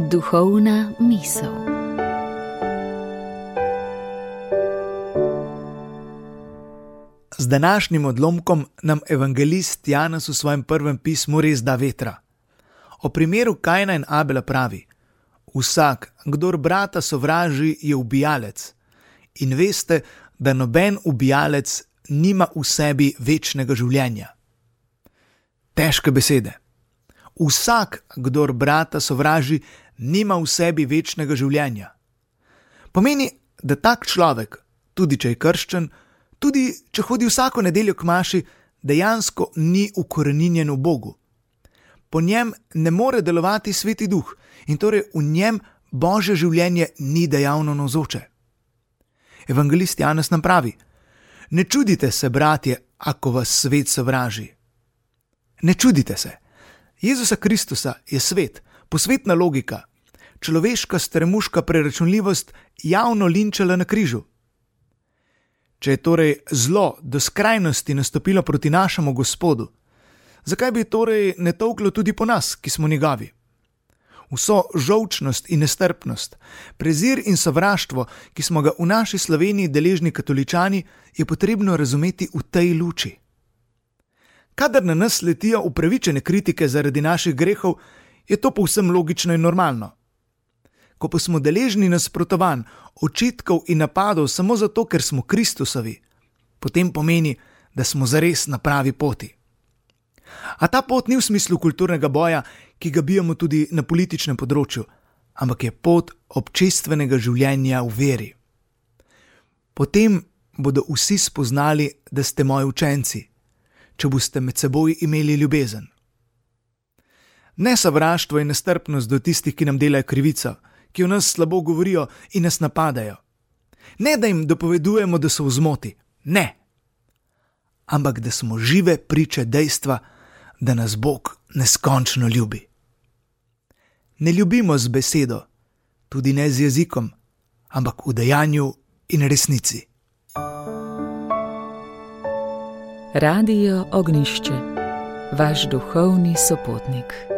Duhovna misel. Z današnjim odlomkom nam evangelist Janez v svojem prvem pismu res da vetra. O primeru Kajna in Abela pravi: vsak, kdor brata sovraži, je ubijalec. In veste, da noben ubijalec nima v sebi večnega življenja. Težke besede. Vsak, kdor brata sovraži, nima v sebi večnega življenja. Pomeni, da tak človek, tudi če je krščen, tudi če hodi vsako nedeljo k maši, dejansko ni ukoreninjen v Bogu. Po njem ne more delovati Sveti Duh in torej v njem Božje življenje ni dejavno navzoče. Evangelist Janez nam pravi: ne čudite se, bratje, ako vas svet sovraži. Ne čudite se. Jezusa Kristusa je svet, posvetna logika, človeška stremuška preračunljivost javno linčala na križu. Če je torej zlo do skrajnosti nastopilo proti našemu Gospodu, zakaj bi torej ne tolklo tudi po nas, ki smo njegovi? Vso žolčnost in nestrpnost, prezir in sovraštvo, ki smo ga v naši Sloveniji deležni katoličani, je potrebno razumeti v tej luči. Kadar na nas letijo upravičene kritike zaradi naših grehov, je to povsem logično in normalno. Ko pa smo deležni nasprotovanj, očitkov in napadov samo zato, ker smo Kristusovi, potem pomeni, da smo zares na pravi poti. A ta pot ni v smislu kulturnega boja, ki ga bijemo tudi na političnem področju, ampak je pot občestvenega življenja v veri. Potem bodo vsi spoznali, da ste moji učenci, če boste med seboj imeli ljubezen. Ne sovraštvo in nestrpnost do tistih, ki nam delajo krivico, ki o nas slabo govorijo in nas napadajo. Ne, da jim dopovedujemo, da so v zmoti. Ne. Ampak da smo žive priče dejstva, da nas Bog neskončno ljubi. Ne ljubimo z besedo, tudi ne z jezikom, ampak v dejanju in resnici. Radio Ognjišče, vaš duhovni sopotnik.